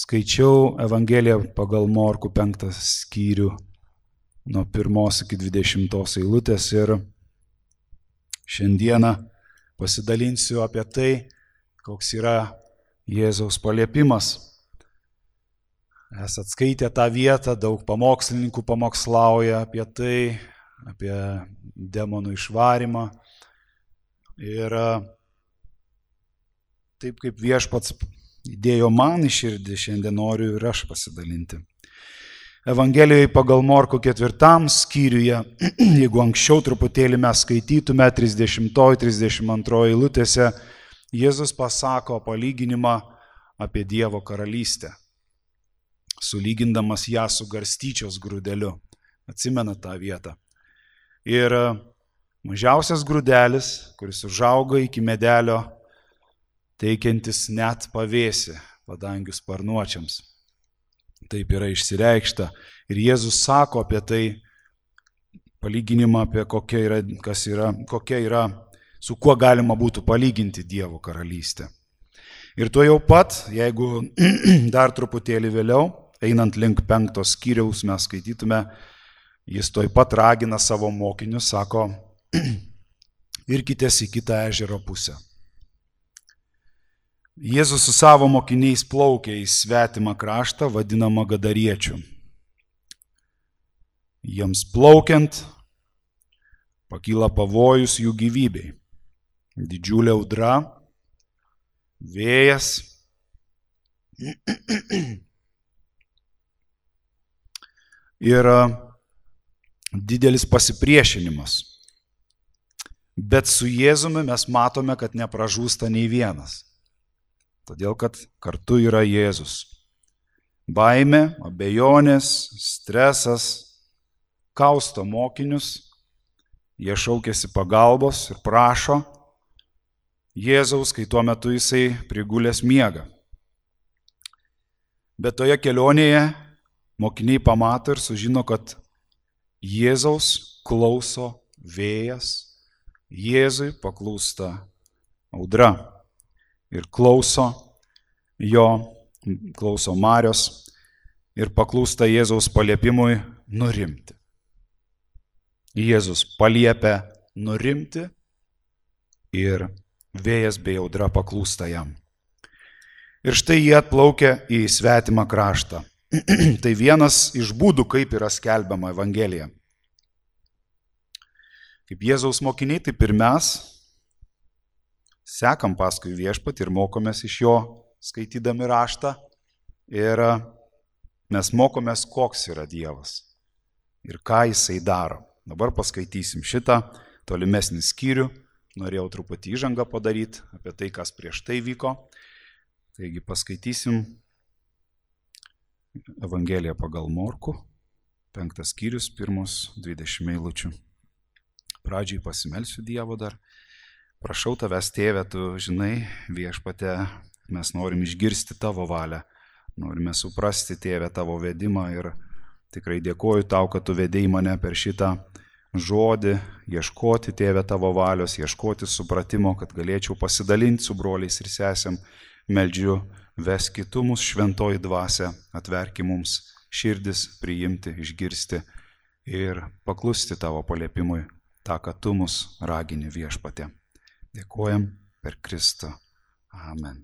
Skaičiau Evangeliją pagal Morkų 5 skyrių nuo 1 iki 20 eilutės ir šiandieną pasidalinsiu apie tai, koks yra Jėzaus paliepimas. Esat skaitę tą vietą, daug pamokslininkų pamokslauja apie tai, apie demonų išvarymą. Ir taip kaip Viešpats įdėjo man į širdį, šiandien noriu ir aš pasidalinti. Evangelijoje pagal Morkų 4 skyriuje, jeigu anksčiau truputėlį mes skaitytume 30-32 eilutėse, Jėzus pasako palyginimą apie Dievo karalystę, sulygindamas ją su garstyčios grūdeliu. Atsimena tą vietą. Ir mažiausias grūdelis, kuris užauga iki medelio, teikiantis net pavėsį padangių sparnuočiams. Taip yra išsireikšta. Ir Jėzus sako apie tai palyginimą, apie kokia yra, su kuo galima būtų palyginti Dievo karalystę. Ir tuo jau pat, jeigu dar truputėlį vėliau, einant link 5 skyriaus, mes skaitytume, jis tuoj pat ragina savo mokinius, sako, irkitės į kitą ežero pusę. Jėzus su savo mokiniais plaukė į svetimą kraštą, vadinamą Gadariečių. Jiems plaukiant, pakyla pavojus jų gyvybei. Didžiulė audra, vėjas ir didelis pasipriešinimas. Bet su Jėzumi mes matome, kad nepražūsta nei vienas. Todėl, kad kartu yra Jėzus. Baimė, abejonės, stresas kausto mokinius, jie šaukėsi pagalbos ir prašo Jėzaus, kai tuo metu jisai prigulęs miega. Bet toje kelionėje mokiniai pamato ir sužino, kad Jėzaus klauso vėjas, Jėzui paklūsta audra. Ir klauso Marios ir paklūsta Jėzaus paliepimui nurimti. Jėzus paliepia nurimti ir vėjas bei audra paklūsta jam. Ir štai jie atplaukia į svetimą kraštą. Tai vienas iš būdų, kaip yra skelbiama Evangelija. Kaip Jėzaus mokiniai, taip ir mes sekam paskui Viešpatį ir mokomės iš jo, skaitydami raštą. Ir mes mokomės, koks yra Dievas ir ką jisai daro. Dabar paskaitysim šitą tolimesnį skyrių. Norėjau truputį įžangą padaryti apie tai, kas prieš tai vyko. Taigi paskaitysim Evangeliją pagal Morkų, 5 skyrius, 1-20 eilučių. Pradžiai pasimelsiu Dievo dar. Prašau tavęs, Tėve, tu žinai, Viešpate, mes norim išgirsti tavo valią, norime suprasti, Tėve, tavo vedimą ir tikrai dėkoju tau, kad tu vedei mane per šitą žodį, ieškoti, Tėve, tavo valios, ieškoti supratimo, kad galėčiau pasidalinti su broliais ir sesėm. Meldžiu, veski tu mus šventoji dvasia, atverki mums širdis priimti, išgirsti ir paklusti tavo paliepimui, tą, kad tu mus ragini, Viešpate. Dėkojam per Kristų. Amen.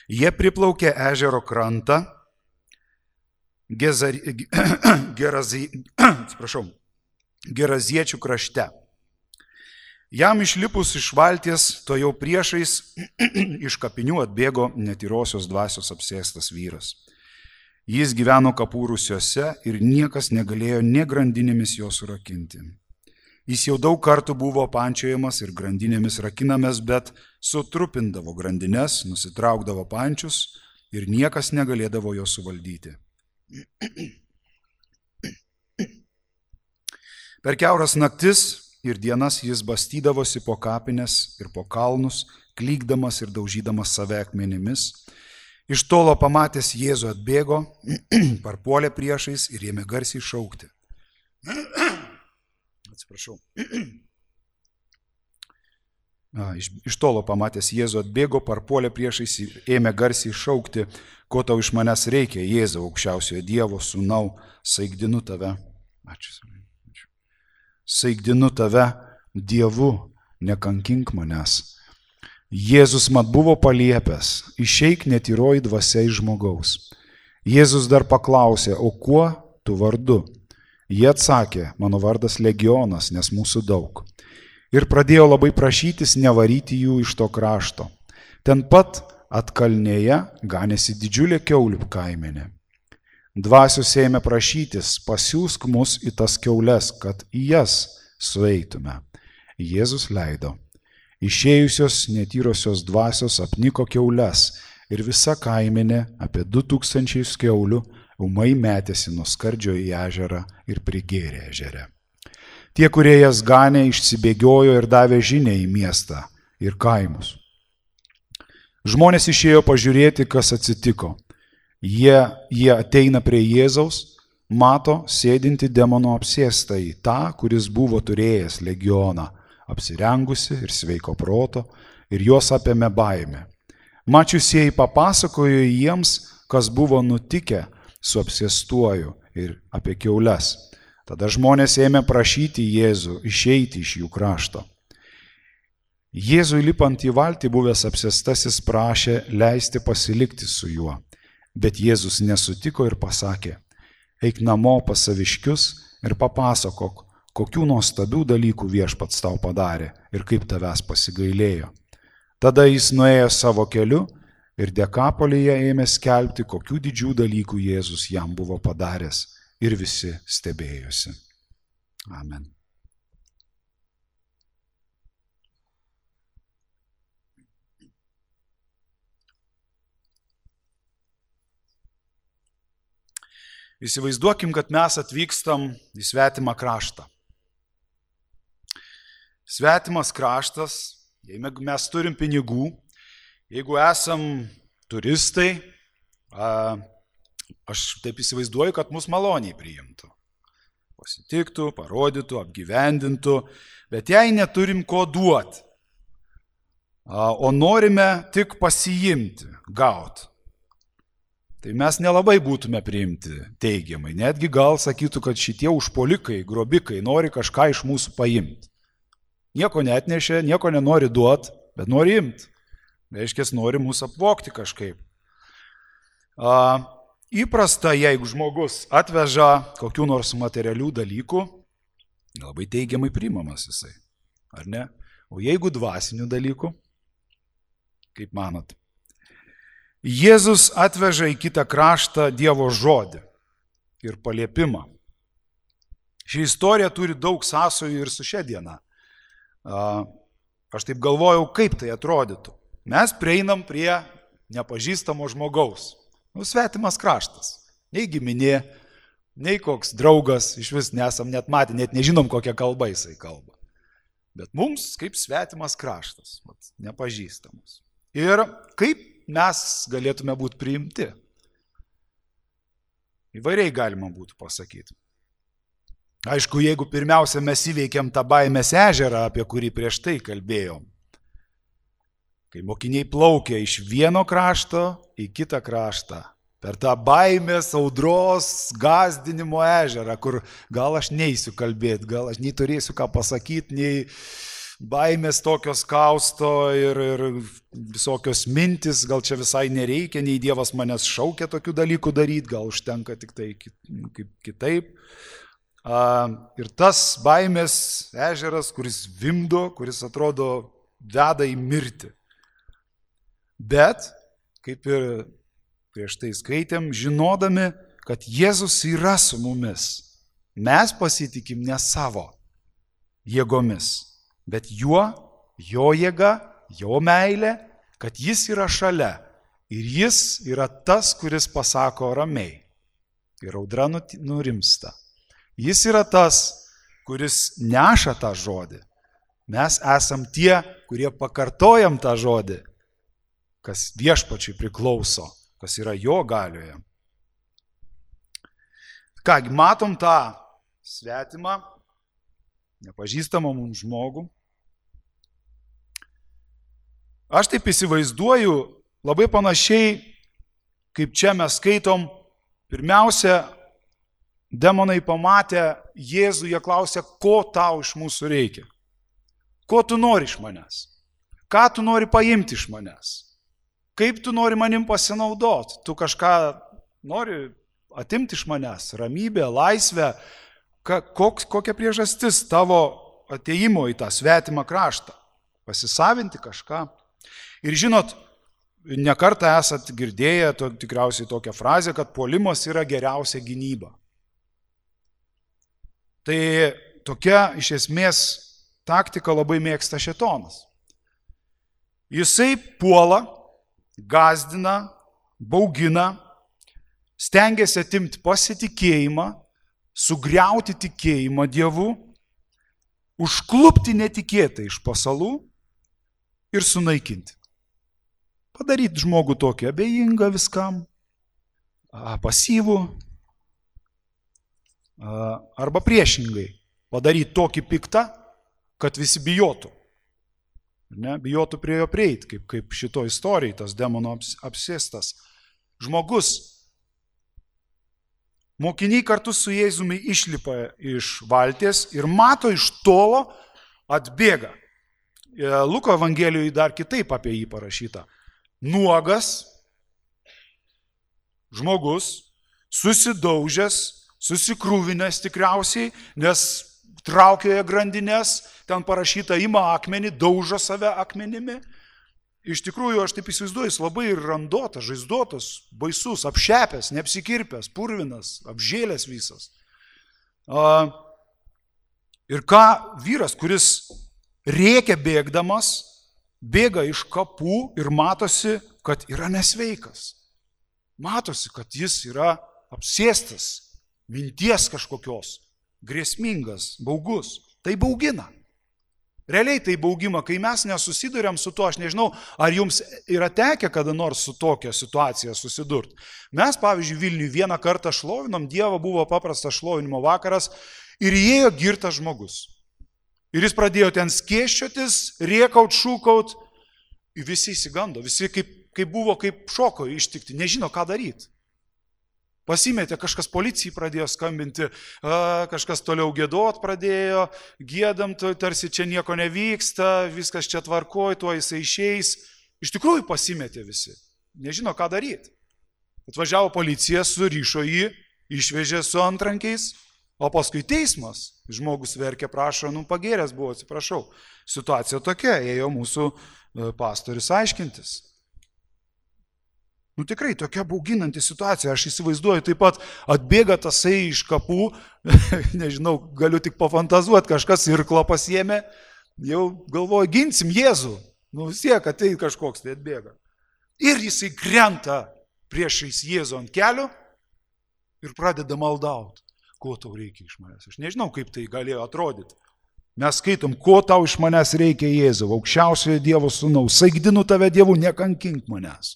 Jie priplaukė ežero krantą Geraziečių krašte. Jam išlipus iš valties, to jau priešais iš kapinių atbėgo netyrosios dvasios apsėstas vyras. Jis gyveno kapų rūsiuose ir niekas negalėjo nė grandinėmis jo surakinti. Jis jau daug kartų buvo pančiojamas ir grandinėmis rakinamas, bet sutrupindavo grandines, nusitraukdavo pančius ir niekas negalėdavo jo suvaldyti. Per kiauras naktis ir dienas jis bastydavosi po kapines ir po kalnus, klykdamas ir daužydamas save akmenimis. Iš tolo pamatęs Jėzų atbėgo, parpuolė priešais ir ėmė garsiai šaukti. Atsiprašau. Iš tolo pamatęs Jėzų atbėgo, parpuolė priešais ir ėmė garsiai šaukti, ko tau iš manęs reikia, Jėzau, aukščiausiojo Dievo sūnau, saigdinu tave. Ačiū. Saigdinu tave, Dievu, nekankink manęs. Jėzus mat buvo paliepęs, išeik netyroji dvasia iš žmogaus. Jėzus dar paklausė, o kuo tu vardu? Jie atsakė, mano vardas Legionas, nes mūsų daug. Ir pradėjo labai prašytis nevaryti jų iš to krašto. Ten pat atkalnėje ganėsi didžiulė kiaulių kaimenė. Dvasios ėmė prašytis, pasiųsk mus į tas kiaules, kad į jas sueitume. Jėzus leido. Išėjusios netyrosios dvasios apniko kiaules ir visa kaimenė apie 2000 kiaulių ūmai metėsi nuo skardžio į ežerą ir prigėrė ežere. Tie, kurie jas ganė, išsibėgiojo ir davė žinią į miestą ir kaimus. Žmonės išėjo pažiūrėti, kas atsitiko. Jie ateina prie Jėzaus, mato sėdinti demono apsėstąjį, tą, kuris buvo turėjęs legioną, apsirengusi ir sveiko proto, ir juos apėmė baimė. Mačiusieji papasakojo jiems, kas buvo nutikę su apsėstuoju ir apie kiaules. Tada žmonės ėmė prašyti Jėzų išeiti iš jų krašto. Jėzui lipant į valtį buvęs apsėstasis prašė leisti pasilikti su juo, bet Jėzus nesutiko ir pasakė, eik namo pas saviškius ir papasakok, kokių nuostabių dalykų Viešpats tau padarė ir kaip tavęs pasigailėjo. Tada jis nuėjo savo keliu ir Dekapolyje ėmė skelbti, kokių didžių dalykų Jėzus jam buvo padaręs. Ir visi stebėjosi. Amen. Įsivaizduokim, kad mes atvykstam į svetimą kraštą. Svetimas kraštas, jei mes turim pinigų, jeigu esam turistai, aš taip įsivaizduoju, kad mus maloniai priimtų. Pasitiktų, parodytų, apgyvendintų, bet jei neturim ko duoti, o norime tik pasiimti, gauti, tai mes nelabai būtume priimti teigiamai. Netgi gal sakytų, kad šitie užpuolikai, grobikai nori kažką iš mūsų paimti. Nieko neatnešė, nieko nenori duoti, bet nori imti. Reiškia, nori mūsų apvogti kažkaip. Įprasta, jeigu žmogus atveža kokių nors materialių dalykų, labai teigiamai priimamas jisai, ar ne? O jeigu dvasinių dalykų, kaip manot? Jėzus atveža į kitą kraštą Dievo žodį ir paliepimą. Ši istorija turi daug sąsajų ir su šia diena. Aš taip galvojau, kaip tai atrodytų. Mes prieinam prie nepažįstamo žmogaus. Svetimas kraštas. Nei giminė, nei koks draugas, iš vis nesam net matę, net nežinom, kokią kalbą jisai kalba. Bet mums kaip svetimas kraštas, nepažįstamas. Ir kaip mes galėtume būti priimti? Įvairiai galima būtų pasakyti. Aišku, jeigu pirmiausia mes įveikiam tą baimės ežerą, apie kurį prieš tai kalbėjom, kai mokiniai plaukia iš vieno krašto į kitą kraštą, per tą baimės, audros, gąsdinimo ežerą, kur gal aš neisiu kalbėti, gal aš nei turėsiu ką pasakyti, nei baimės tokios kausto ir visokios mintis, gal čia visai nereikia, nei Dievas manęs šaukia tokių dalykų daryti, gal užtenka tik tai kitaip. Ir tas baimės ežeras, kuris vimdo, kuris atrodo veda į mirtį. Bet, kaip ir prieš tai skaitėm, žinodami, kad Jėzus yra su mumis, mes pasitikim ne savo jėgomis, bet juo, jo jėga, jo meilė, kad jis yra šalia ir jis yra tas, kuris pasako ramiai ir audra nurimsta. Jis yra tas, kuris neša tą žodį. Mes esam tie, kurie pakartojam tą žodį, kas Viešpačiui priklauso, kas yra jo galioje. Kągi, matom tą svetimą, nepažįstamą mums žmogų. Aš taip įsivaizduoju, labai panašiai, kaip čia mes skaitom, pirmiausia, demonai pamatę Jėzų, jie klausia, ko tau iš mūsų reikia? Ko tu nori iš manęs? Ką tu nori paimti iš manęs? Kaip tu nori manim pasinaudoti? Tu kažką nori atimti iš manęs? Ramybę, laisvę? Kokia priežastis tavo ateimo į tą svetimą kraštą? Pasisavinti kažką? Ir žinot, nekartą esat girdėję tikriausiai tokią frazę, kad puolimas yra geriausia gynyba. Tai tokia iš esmės taktika labai mėgsta šėtonas. Jisai puola, gąsdina, baugina, stengiasi atimti pasitikėjimą, sugriauti tikėjimą Dievu, užklupti netikėtai iš pasalų ir sunaikinti. Padaryti žmogų tokį abejingą viskam, pasyvų, arba priešingai, padaryti tokį piktą, kad visi bijotų. Ne? Bijotų prie jo prieiti, kaip šito istorijai, tas demono apsėstas žmogus. Mokiniai kartu su Jėzumi išlipa iš valties ir mato iš tolo atbėga. Luko Evangelijoje dar kitaip apie jį parašyta. Nuogas žmogus, susidaužęs, susikrūvinęs tikriausiai, nes traukioje grandinės, ten parašyta, ima akmenį, daužo save akmenimi. Iš tikrųjų, aš taip įsivaizduoju, jis labai randotas, žaizdotas, baisus, apšepęs, neapsikirpęs, purvinas, apžėlęs visas. Ir ką vyras, kuris rėkia bėgdamas, bėga iš kapų ir matosi, kad yra nesveikas. Matosi, kad jis yra apsėstas, minties kažkokios, grėsmingas, baugus. Tai baugina. Realiai tai baugima, kai mes nesusiduriam su to, aš nežinau, ar jums yra tekę kada nors su tokia situacija susidurti. Mes, pavyzdžiui, Vilniuje vieną kartą šlovinom Dievą, buvo paprastas šlovinimo vakaras ir įėjo girtas žmogus. Ir jis pradėjo ten skėsčiotis, rėkaut, šūkaut, visi įsigando, visi kaip buvo, kaip šoko ištikti, nežino, ką daryti. Pasimetė, kažkas policijai pradėjo skambinti, kažkas toliau giedot pradėjo, giedam, tarsi čia nieko nevyksta, viskas čia tvarkoj, tuo jisai išeis. Iš tikrųjų pasimetė visi, nežino, ką daryti. Atvažiavo policija, surišo jį, išvežė su antrankiais, o paskui teismas. Žmogus verkė, prašo, pagėręs buvo, atsiprašau. Situacija tokia, ėjo mūsų pastorius aiškintis. Tikrai tokia bauginanti situacija, aš įsivaizduoju, taip pat atbėga tasai iš kapų, nežinau, galiu tik pafantazuoti, kažkas irklą pasiėmė, jau galvoju, ginsim Jėzų, vis tiek ateit kažkoks tai atbėga. Ir jisai krenta priešais Jėzų ant kelių ir pradeda maldauti, ko tau reikia iš manęs. Aš nežinau, kaip tai galėjo atrodyti. Mes skaitom, ko tau iš manęs reikia Jėzau, aukščiausiojo Dievo sūnau, saigdinu tave Dievu, nekankink manęs.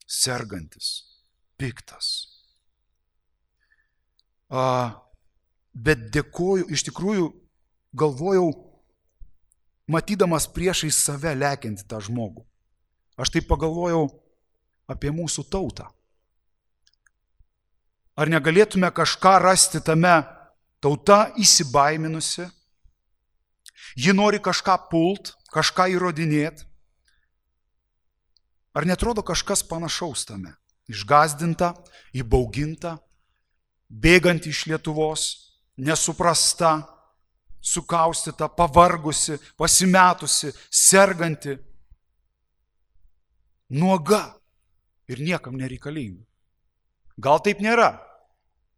Sergantis, piktas. Bet dėkoju, iš tikrųjų galvojau, matydamas priešais save lekiantį tą žmogų. Aš taip pagalvojau apie mūsų tautą. Ar negalėtume kažką rasti tame, tauta įsibaiminusi, ji nori kažką pult, kažką įrodinėti. Ar netrodo kažkas panašaus tame? Išgąsdinta, įbauginta, bėganti iš Lietuvos, nesuprasta, sukaustyta, pavargusi, pasimetusi, serganti, nuoga ir niekam nereikalinga. Gal taip nėra?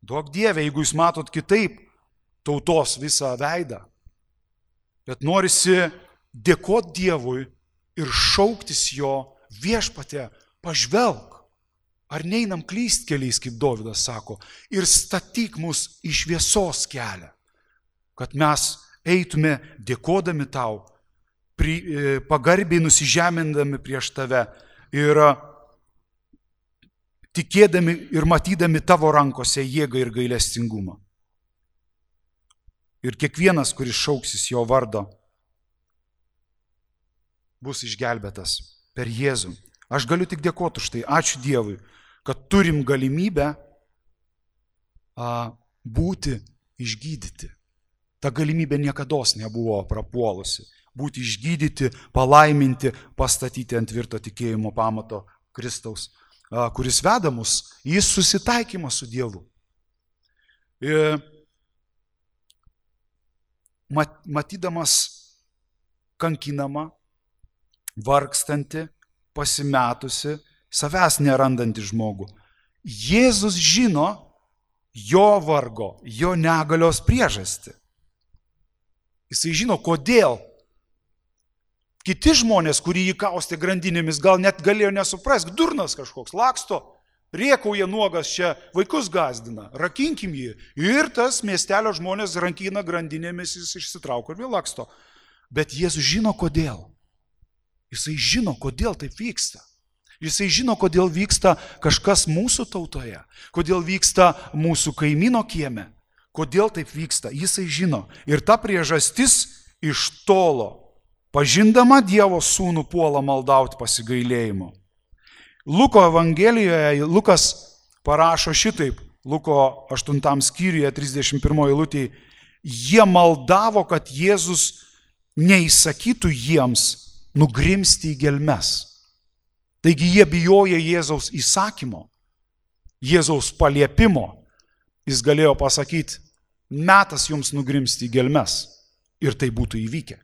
Duok Dieve, jeigu jūs matot kitaip tautos visą veidą, bet norisi dėkoti Dievui ir šauktis jo, viešpatie, pažvelk, ar neinam klyst keliais, kaip Dovydas sako, ir statyk mus į šviesos kelią, kad mes eitume dėkodami tau, pagarbiai nusižemindami prieš tave ir tikėdami ir matydami tavo rankose jėgą ir gailestingumą. ir kiekvienas, kuris šauksis jo vardo, bus išgelbėtas per Jėzų. Aš galiu tik dėkoti už tai. Ačiū Dievui, kad turim galimybę būti išgydyti. Ta galimybė niekados nebuvo prapuolusi. Būti išgydyti, palaiminti, pastatyti ant tvirto tikėjimo pamato Kristaus, kuris veda mus į susitaikymą su Dievu. Matydamas kankinamą, vargstantį, pasimetusi, savęs nerandantį žmogų, Jėzus žino jo vargo, jo negalios priežastį. Jisai žino, kodėl. Kiti žmonės, kurie jį kaustė grandinėmis, gal net galėjo nesuprasti, durnas kažkoks, laksto, riekauja nuogas čia, vaikus gazdina, rakinkim jį. Ir tas miestelio žmonės rankina grandinėmis, jis išsitrauko ir vėl laksto. Bet Jėzus žino, kodėl. Jisai žino, kodėl taip vyksta. Jisai žino, kodėl vyksta kažkas mūsų tautoje, kodėl vyksta mūsų kaimyno kieme, kodėl taip vyksta. Jisai žino. Ir ta priežastis iš tolo, pažindama Dievo sūnų, puola maldauti pasigailėjimo. Luko Evangelijoje Lukas parašo šitaip, Luko 8 skyriuje 31 eilutėje, jie maldavo, kad Jėzus neįsakytų jiems nugrimsti į gelmes. Taigi jie bijoja Jėzaus įsakymo, Jėzaus paliepimo. Jis galėjo pasakyti, metas jums nugrimsti į gelmes. Ir tai būtų įvykę.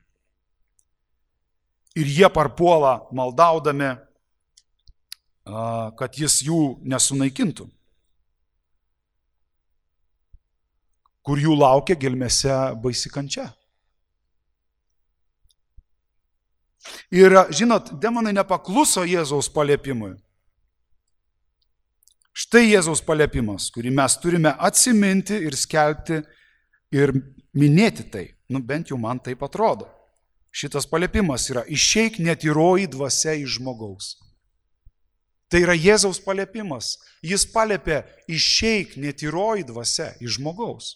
Ir jie parpuola maldaudami, kad jis jų nesunaikintų. Kur jų laukia gelmėse baisi kančia. Ir, žinot, demonai nepakluso Jėzaus paliepimui. Štai Jėzaus paliepimas, kurį mes turime atsiminti ir skelbti ir minėti tai. Bent jau man taip atrodo. Šitas paliepimas yra išeik netyroji dvasia iš žmogaus. Tai yra Jėzaus paliepimas. Jis paliepė išeik netyroji dvasia iš žmogaus.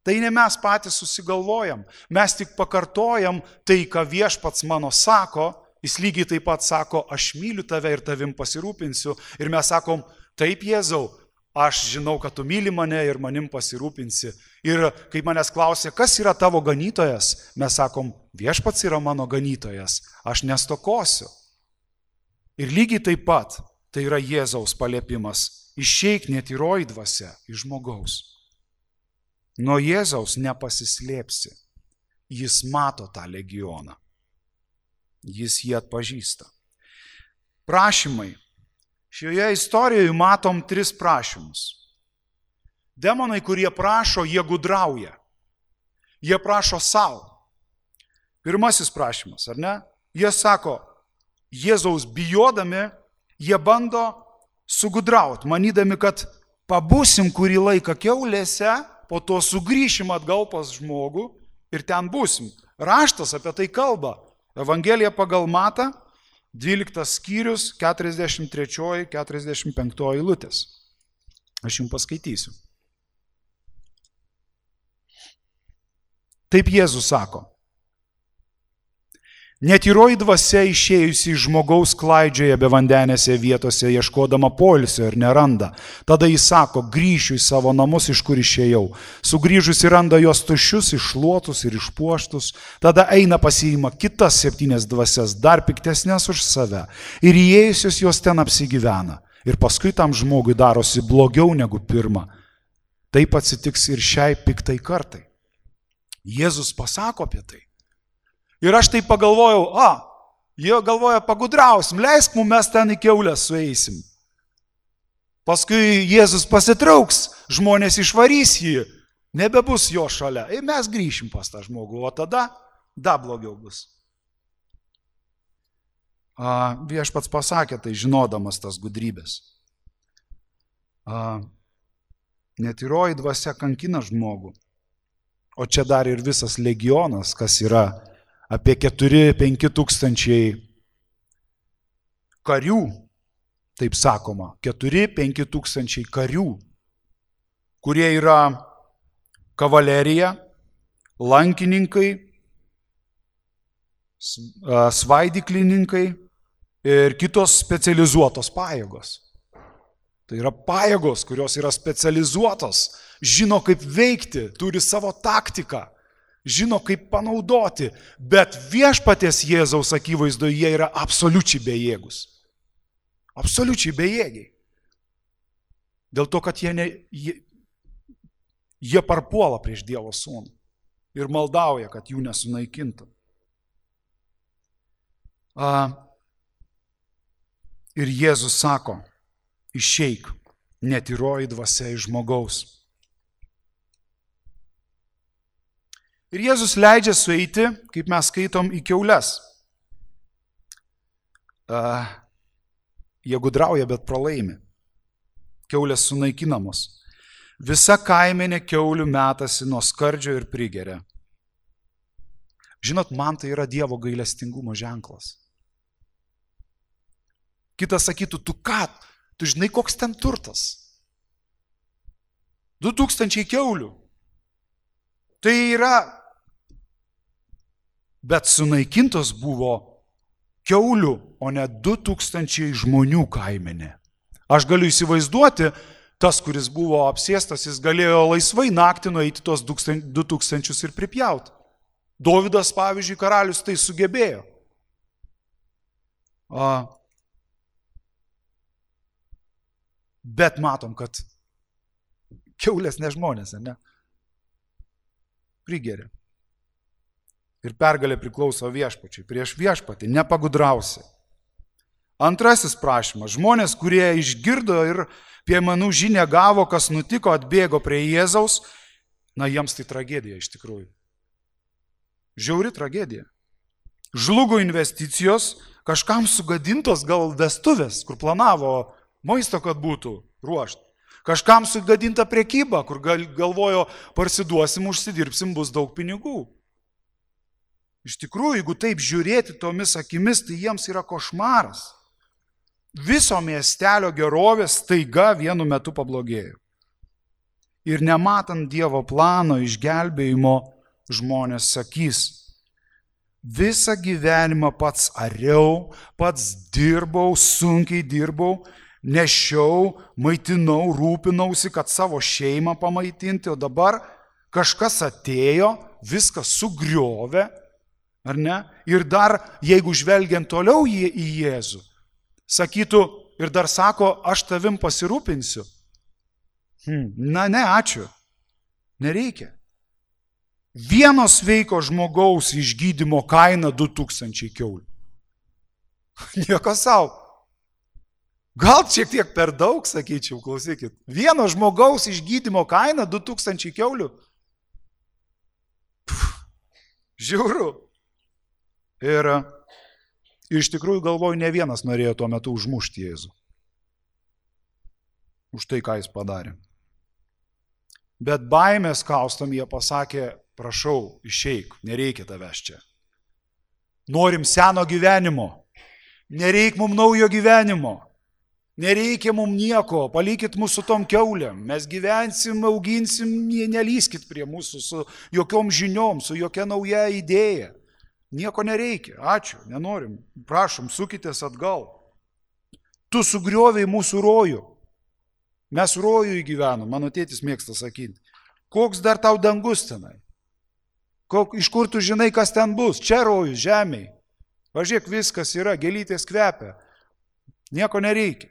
Tai ne mes patys susigalvojam, mes tik pakartojam tai, ką Viešpats mano sako, jis lygiai taip pat sako, aš myliu tave ir tavim pasirūpinsiu. Ir mes sakom, taip Jėzau, aš žinau, kad tu myli mane ir manim pasirūpinsi. Ir kai manęs klausia, kas yra tavo ganytojas, mes sakom, Viešpats yra mano ganytojas, aš nestokosiu. Ir lygiai taip pat tai yra Jėzaus paliepimas, išeik netyroji dvasia iš žmogaus. Nuo Jėzaus nepasislėpsi. Jis mato tą legioną. Jis jį atpažįsta. Prašymai. Šioje istorijoje matom 3 prašymus. Demonai, kurie prašo, jie gudrauja. Jie prašo savo. Pirmasis prašymas, ar ne? Jie sako, Jėzaus bijodami, jie bando sugudrauti, manydami, kad pabūsim kurį laiką kiaulėse, po to sugrįšim atgal pas žmogų ir ten būsim. Raštas apie tai kalba. Evangelija pagal Matą, 12 skyrius, 43-45 eilutės. Aš jums paskaitysiu. Taip Jėzus sako. Netyroji dvasia išėjusi iš žmogaus klaidžioja be vandenėse vietose, ieškodama poilsio ir neranda. Tada jis sako, grįšiu į savo namus, iš kur išėjau. Sugrįžusi randa jos tuščius, iššluotus ir išpuoštus. Tada eina pasiima kitas 7 dvasias, dar piktesnės už save. Ir įėjusios jos ten apsigyvena. Ir paskui tam žmogui darosi blogiau negu pirma. Taip atsitiks ir šiai piktai kartai. Jėzus pasako apie tai. Ir aš tai pagalvojau, jie galvoja, pagudrausim, leisk mums mes ten į kiaulę sueisim. Paskui Jėzus pasitrauks, žmonės išvarys jį, nebebus jo šalia. Ir mes grįšim pas tą žmogų, o tada dar blogiau bus. Viešpats pasakė tai, žinodamas tas gudrybės. Netyroji dvasia kankina žmogų, o čia dar ir visas legionas, kas yra apie 4-5 tūkstančiai karių, taip sakoma, 4-5 tūkstančiai karių, kurie yra kavalerija, lankininkai, svaidyklininkai ir kitos specializuotos pajėgos. Tai yra pajėgos, kurios yra specializuotos, žino kaip veikti, turi savo taktiką, žino kaip panaudoti, bet viešpaties Jėzaus akivaizdoje jie yra absoliučiai bejėgus. Absoliučiai bejėgiai. Dėl to, kad jie parpuola prieš Dievo sūnų ir maldauja, kad jų nesunaikintų. Ir Jėzus sako, išeik, netyroji dvasia iš žmogaus. Ir Jėzus leidžia sueiti, kaip mes skaitom, į kiaules. Jie gudrauja, bet pralaimi. Kiaulės sunaikinamos. Visa kaimenė kiaulių metasi nuo skardžio ir prigeria. Žinot, man tai yra Dievo gailestingumo ženklas. Kitas sakytų, tu ką? Tu žinai, koks ten turtas? 2000 kiaulių. Tai yra, bet sunaikintos buvo kiaulių, o ne 2000 žmonių kaimenė. Aš galiu įsivaizduoti, tas, kuris buvo apsėstas, jis galėjo laisvai naktį nueiti tos 2000 ir pripjauti. Dovydas, pavyzdžiui, karalius tai sugebėjo. Bet matom, kad kiaulės ne žmonės, ne? Prigeria. Ir pergalė priklauso viešpačiui. Prieš viešpatį nepagudrausi. Antrasis prašymas. Žmonės, kurie išgirdo ir piemenų žinią gavo, kas nutiko, atbėgo prie Jėzaus, na, jiems tai tragedija iš tikrųjų. Žiauri tragedija. Žlugo investicijos, kažkam sugadintos gal vestuvės, kur planavo maisto, kad būtų ruošta. Kažkam sugadinta prekyba, kur galvojo, parsiduosim, užsidirbsim, bus daug pinigų. Iš tikrųjų, jeigu taip žiūrėti tomis akimis, tai jiems yra košmaras. Viso miestelio gerovės staiga vienu metu pablogėjo. Ir nematant Dievo plano išgelbėjimo, žmonės sakys, visą gyvenimą pats ariau, pats dirbau, sunkiai dirbau, nešiau, maitinau, rūpinausi, kad savo šeimą pamaitinti, o dabar kažkas atėjo, viskas sugriovė, ar ne? Ir dar, jeigu žvelgiant toliau į Jėzų, sakytų ir dar sako, aš tavim pasirūpinsiu. Na ne, ačiū. Nereikia. Vieno sveiko žmogaus išgydymo kaina 2000 kiaulių. Nieko savo. Gal šiek tiek per daug, sakyčiau, klausykit. Vieno žmogaus išgydymo kaina 2000 kiaulių. Žiauru. Ir iš tikrųjų galvoju, ne vienas norėjo tuo metu užmušti Jėzų. Už tai, ką jis padarė. Bet baimės kaustam jie pasakė, prašau, išeik, nereikia tavęs čia. Norim seno gyvenimo. Nereik mums naujo gyvenimo. Nereikia mums nieko, palikit mūsų tom kiaulėm. Mes gyvensim, auginsim, nelyskit prie mūsų su jokiom žiniom, su jokia nauja idėja. Nieko nereikia, ačiū, nenorim. Prašom, sukitės atgal. Tu sugriovei mūsų rojų. Mes rojų įgyvenom, mano tėtis mėgsta sakyti. Koks dar tau dangus tenai? Iš kur tu žinai, kas ten bus? Čia rojus, žemėj. Važiuok, viskas yra, gėlytės kvepia. Nieko nereikia.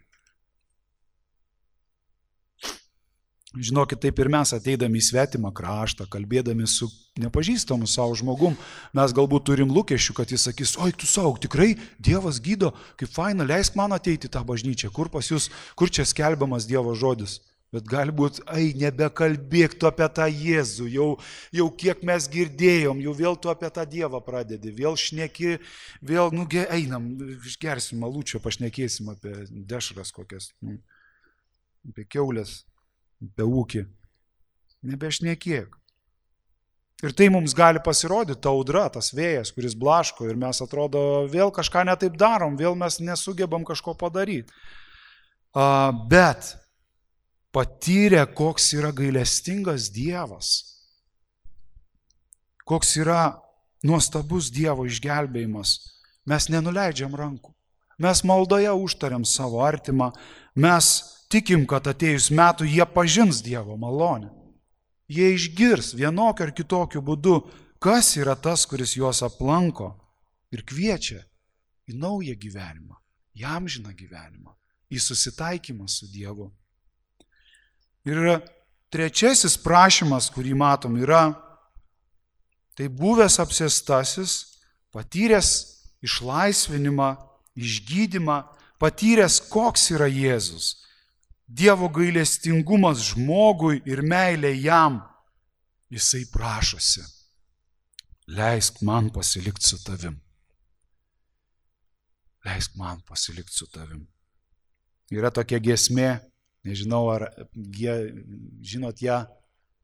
Žinokit, taip ir mes ateidami į svetimą kraštą, kalbėdami su nepažįstamu savo žmogum, mes galbūt turim lūkesčių, kad jis sakys, oi, tu saug, tikrai Dievas gydo, kaip faina, leisk man ateiti į tą bažnyčią, kur pas jūs, kur čia skelbiamas Dievo žodis. Bet galbūt, nebekalbėk tu apie tą Jėzų, jau kiek mes girdėjom, jau vėl tu apie tą Dievą pradedi, vėl šneki, vėl, einam, išgersim malūčio, pašnekėsim apie dešras kokias, apie kiaulės. Be ūkį. Nebešnekėk. Ir tai mums gali pasirodyti, ta audra, tas vėjas, kuris blaško ir mes atrodo vėl kažką netaip darom, vėl mes nesugebam kažko padaryti. Bet patyrę, koks yra gailestingas Dievas, koks yra nuostabus Dievo išgelbėjimas, mes nenuleidžiam rankų. Mes maldoje užtariam savo artimą, mes tikim, kad atėjus metų jie pažins Dievo malonę. Jie išgirs vienokiu ar kitokiu būdu, kas yra tas, kuris juos aplanko ir kviečia į naują gyvenimą, į amžiną gyvenimą, į susitaikymą su Dievu. Ir trečiasis prašymas, kurį matom, yra tai buvęs apsėstasis, patyręs išlaisvinimą, išgydymą, patyręs, koks yra Jėzus. Dievo gailestingumas žmogui ir meilė jam. Jisai prašosi, leisk man pasilikti su tavim. Leisk man pasilikti su tavim. Yra tokia giesmė, nežinau, ar žinot ją.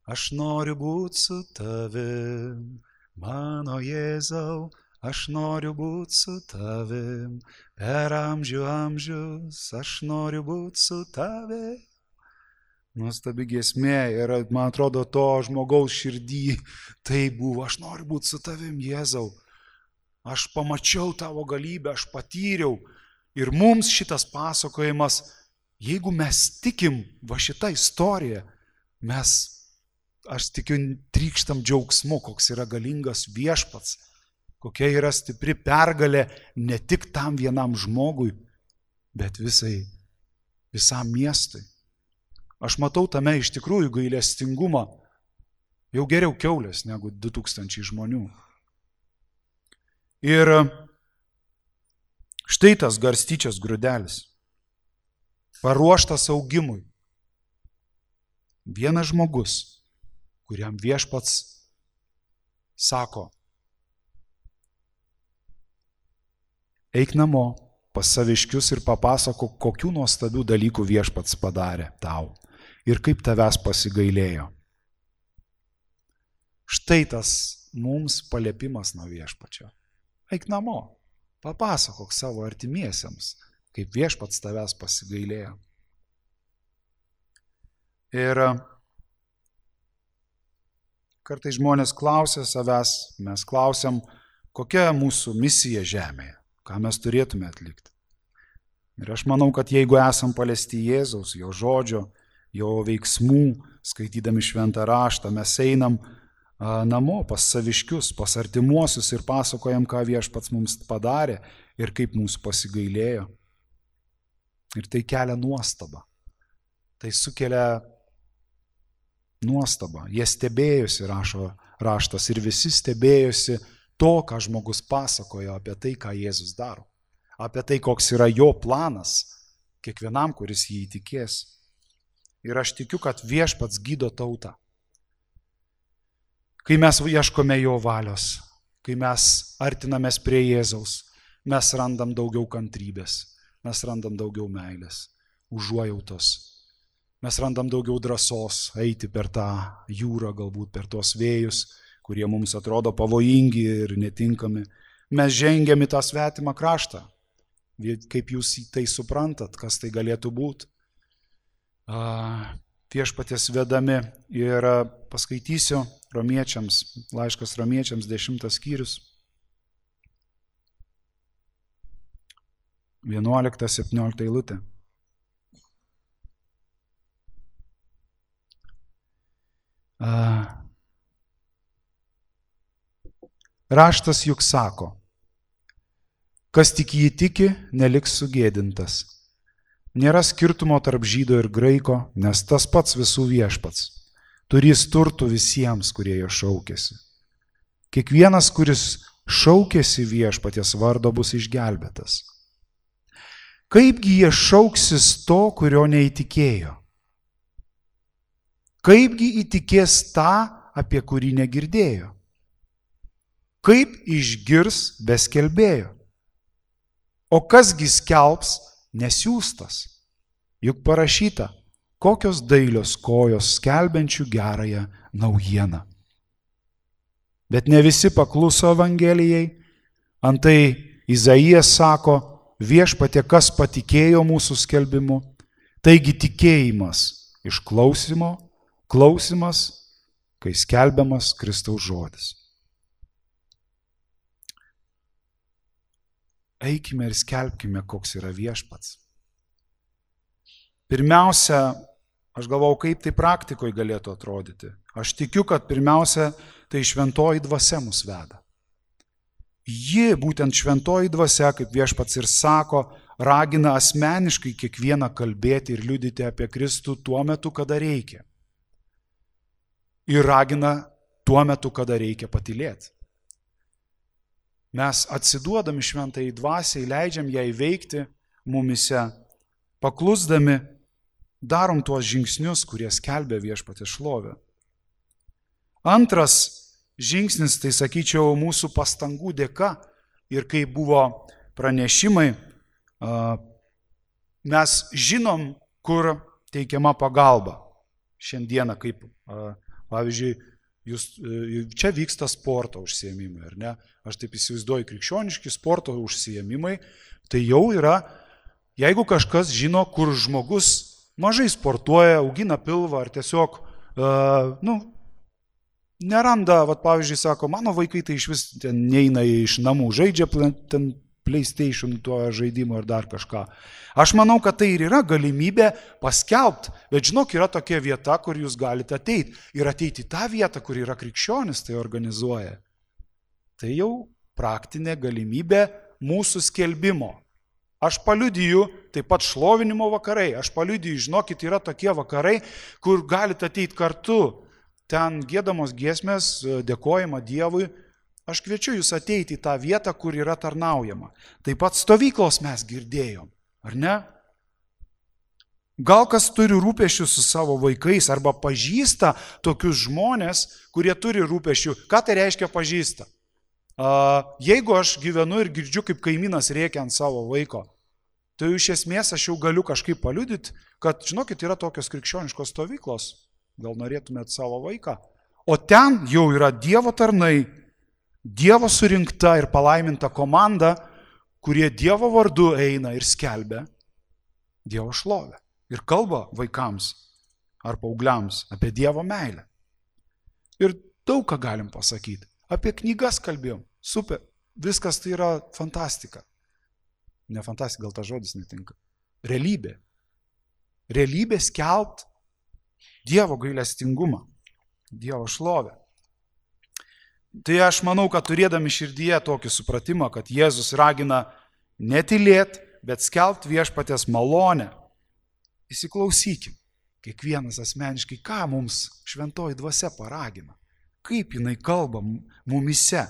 Aš noriu būti su tavim, mano Jėzau, aš noriu būti su tavim, per amžius, aš noriu būti su tavim. Nuostabi giesmė ir, man atrodo, to žmogaus širdį tai buvo, aš noriu būti su tavim, Jėzau. Aš pamačiau tavo galybę, aš patyriau. Ir mums šitas pasakojimas, jeigu mes tikim va šitą istoriją, aš tikiu, trykštam džiaugsmu, koks yra galingas viešpats, kokia yra stipri pergalė ne tik tam vienam žmogui, bet visam miestui. Aš matau tame iš tikrųjų gailestingumą, jau geriau kiaulės negu 2000 žmonių. Ir štai tas garstyčios grūdelis, paruoštas augimui. Vienas žmogus, kuriam viešpats sako, eik namo pas saviškius ir papasako, kokių nuostabių dalykų viešpats padarė tau ir kaip tavęs pasigailėjo. Štai tas mums paliepimas nuo viešpačio. Eik namo, papasakok savo artimiesiems, kaip viešpats tavęs pasigailėjo. Ir kartais žmonės klausia savęs, mes klausiam, kokia mūsų misija žemėje, ką mes turėtume atlikti. Ir aš manau, kad jeigu esam paliesti Jėzaus, jo žodžio, jo veiksmų, skaitydami šventą raštą, mes einam namo pas saviškius, pas artimuosius ir pasakojam, ką viešpats mums padarė ir kaip mūsų pasigailėjo. Ir tai kelia nuostabą. Tai sukelia nuostabą. Jie stebėjosi, rašo raštas, ir visi stebėjosi to, ką žmogus pasakojo apie tai, ką Jėzus daro. Apie tai, koks yra jo planas kiekvienam, kuris jį įtikės. Ir aš tikiu, kad viešpats gydo tautą. Kai mes ieškome jo valios, kai mes artinamės prie Jėzaus, mes randam daugiau kantrybės, mes randam daugiau meilės, užuojautos. Mes randam daugiau drąsos eiti per tą jūrą, galbūt per tuos vėjus, kurie mums atrodo pavojingi ir netinkami. Mes žengiam į tą svetimą kraštą. Kaip jūs tai suprantat, kas tai galėtų būti? Viešpaties vedami ir paskaitysiu Romiečiams, laiškas Romiečiams 10 skyrius, 11-17 eilutė. Raštas juk sako, kas tik jį tiki, neliks sugėdintas. Nėra skirtumo tarp žydo ir graiko, nes tas pats visų viešpats. Turės turtų visiems, kurie jo šaukėsi. Kiekvienas, kuris šaukėsi viešpaties vardo, bus išgelbėtas. Kaipgi jie šauksis to, kurio neįtikėjo? Kaipgi įtikės tą, apie kurį negirdėjo? Kaip išgirs be skelbėjo? O kasgi skelbs nesiųstas? Juk parašyta, kokios dailios kojos skelbiančių gerąją naujieną. Bet ne visi pakluso Evangelijai. Antai Izaijas sako, viešpatie, kas patikėjo mūsų skelbimu. Taigi tikėjimas iš klausimo, klausimas, kai skelbiamas Kristaus žodis. eikime ir skelbkime, koks yra viešpats. Pirmiausia, aš galvau, kaip tai praktikoje galėtų atrodyti. Aš tikiu, kad pirmiausia, tai šventoji dvasia mus veda. Ji, būtent šventoji dvasia, kaip viešpats ir sako, ragina asmeniškai kiekvieną kalbėti ir liudyti apie Kristų tuo metu, kada reikia. Ir ragina tuo metu, kada reikia patylėti. Mes atsiduodami šventai dvasiai, leidžiam ją įveikti mumise, paklusdami, darom tuos žingsnius, kurie skelbia viešpatės šlovę. Antras žingsnis, tai sakyčiau, mūsų pastangų dėka ir kai buvo pranešimai, mes žinom, kur teikiama pagalba. Šiandieną, kaip, pavyzdžiui, čia vyksta sporto užsiėmimai, ar ne? Aš taip įsivaizduoju, krikščioniški sporto užsiėmimai, tai jau yra, jeigu kažkas žino, kur žmogus mažai sportuoja, augina pilvą ar tiesiog, neranda, pavyzdžiui, sako, mano vaikai tai iš vis ten neina iš namų, žaidžia ten PlayStation tuo žaidimu ar dar kažką. Aš manau, kad tai ir yra galimybė paskelbti, bet žinok, yra tokia vieta, kur jūs galite ateiti ir ateiti į tą vietą, kur yra krikščionis, tai organizuoja. Tai jau praktinė galimybė mūsų skelbimo. Aš paliudiju, taip pat šlovinimo vakarai, aš paliudiju, žinokit, yra tokie vakarai, kur galite ateiti kartu, ten giedamos giesmės, dėkojama Dievui. Aš kviečiu jūs ateiti į tą vietą, kur yra tarnaujama. Taip pat stovyklos mes girdėjom, ar ne? Gal kas turi rūpesčių su savo vaikais arba pažįsta tokius žmonės, kurie turi rūpesčių. Ką tai reiškia pažįsta? Jeigu aš gyvenu ir girdžiu, kaip kaimynas rėkia ant savo vaiko, tai iš esmės aš jau galiu kažkaip paliudyti, kad, žinokit, yra tokios krikščioniškos stovyklos, gal norėtumėt savo vaiką. O ten jau yra Dievo tarnai, Dievo surinkta ir palaiminta komanda, kurie Dievo vardu eina ir skelbia Dievo šlovę. Ir kalba vaikams ar paaugliams apie Dievo meilę. Ir daug ką galim pasakyti. Apie knygas kalbėjom. Super. Viskas tai yra fantastika. Ne fantastika, gal tas žodis netinka. Realybė. Realybė skelbt Dievo gailestingumą. Dievo šlovę. Tai aš manau, kad turėdami širdyje tokį supratimą, kad Jėzus ragina netylėti, bet skelbt viešpaties malonę. Įsiklausykim, kiekvienas asmeniškai, ką mums šventoji dvasia paragina, kaip jinai kalba mumise,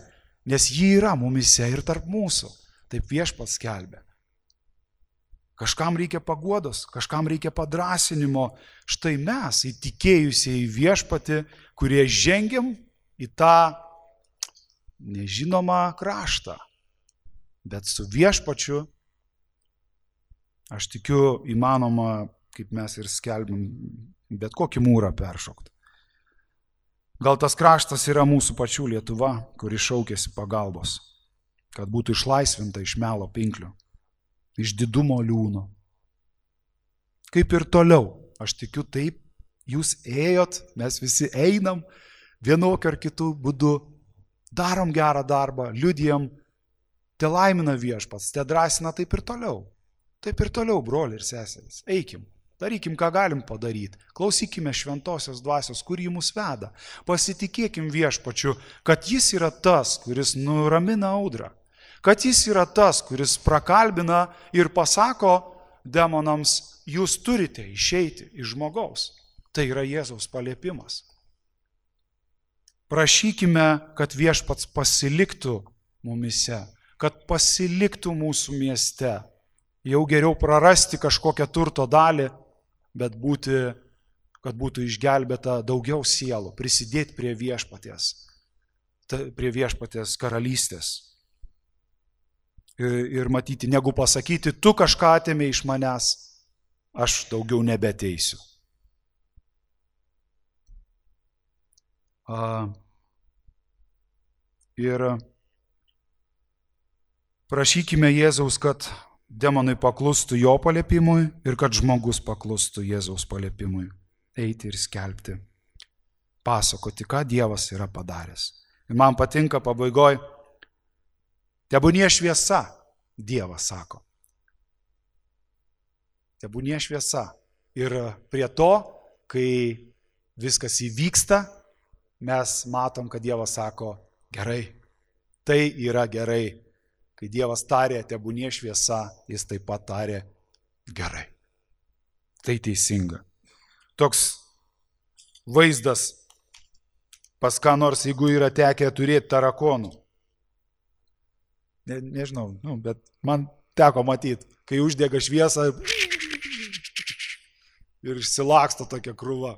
nes ji yra mumise ir tarp mūsų, taip viešpats skelbia. Kažkam reikia paguodos, kažkam reikia padrasinimo, štai mes įtikėjusiai viešpatį, kurie žengiam į tą nežinomą kraštą, bet su viešpačiu, aš tikiu, įmanoma, kaip mes ir skelbim, bet kokį mūrą peršokti. Gal tas kraštas yra mūsų pačių Lietuva, kuri šaukėsi pagalbos, kad būtų išlaisvinta iš melo pinklių, iš didumo liūno. Kaip ir toliau, aš tikiu taip, jūs ėjot, mes visi einam, vienokiu ar kitų būdu, darom gerą darbą, liudijam, te laimina viešpats, te drąsina taip ir toliau. Taip ir toliau, broliai ir seserys, eikim. Darykim, ką galim padaryti. Klausykime šventosios dvasios, kur jį mus veda. Pasitikėkim viešpačiu, kad jis yra tas, kuris nuramina audrą. Kad jis yra tas, kuris prakalbina ir pasako demonams, jūs turite išeiti iš žmogaus. Tai yra Jėzaus paliepimas. Prašykime, kad viešpats pasiliktų mumise, kad pasiliktų mūsų mieste. Jau geriau prarasti kažkokią turto dalį, bet kad būtų išgelbėta daugiau sielų, prisidėti prie viešpaties karalystės. Ir matyti, negu pasakyti, tu kažką atėmė iš manęs, aš daugiau nebeteisiu. Ir prašykime Jėzaus, kad demonai paklustų jo paliepimui ir kad žmogus paklustų Jėzaus paliepimui. Eiti ir skelbti, pasakoti, ką Dievas yra padaręs. Ir man patinka pabaigoj, tebūnie šviesa Dievas sako. Tebūnie šviesa. Ir prie to, kai viskas įvyksta, mes matom, kad Dievas sako, gerai, tai yra gerai. Kai Dievas tarė, tebūnie šviesa, jis taip pat tarė, gerai. Tai teisinga. Toks vaizdas pas ką nors, jeigu yra tekę turėti tarakonų. Nežinau, bet man teko matyti, kai uždega šviesą ir išsilaksto tokia krūva.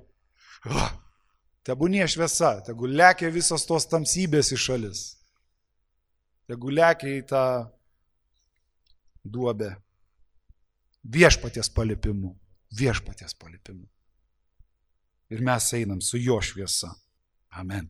Tebūnie šviesa, tegu lekia visos tos tamsybės į šalis. Tegu lekia į tą duobę. Viešpaties palipimu. Viešpaties palipimu. Ir mes einam su jo šviesa. Amen.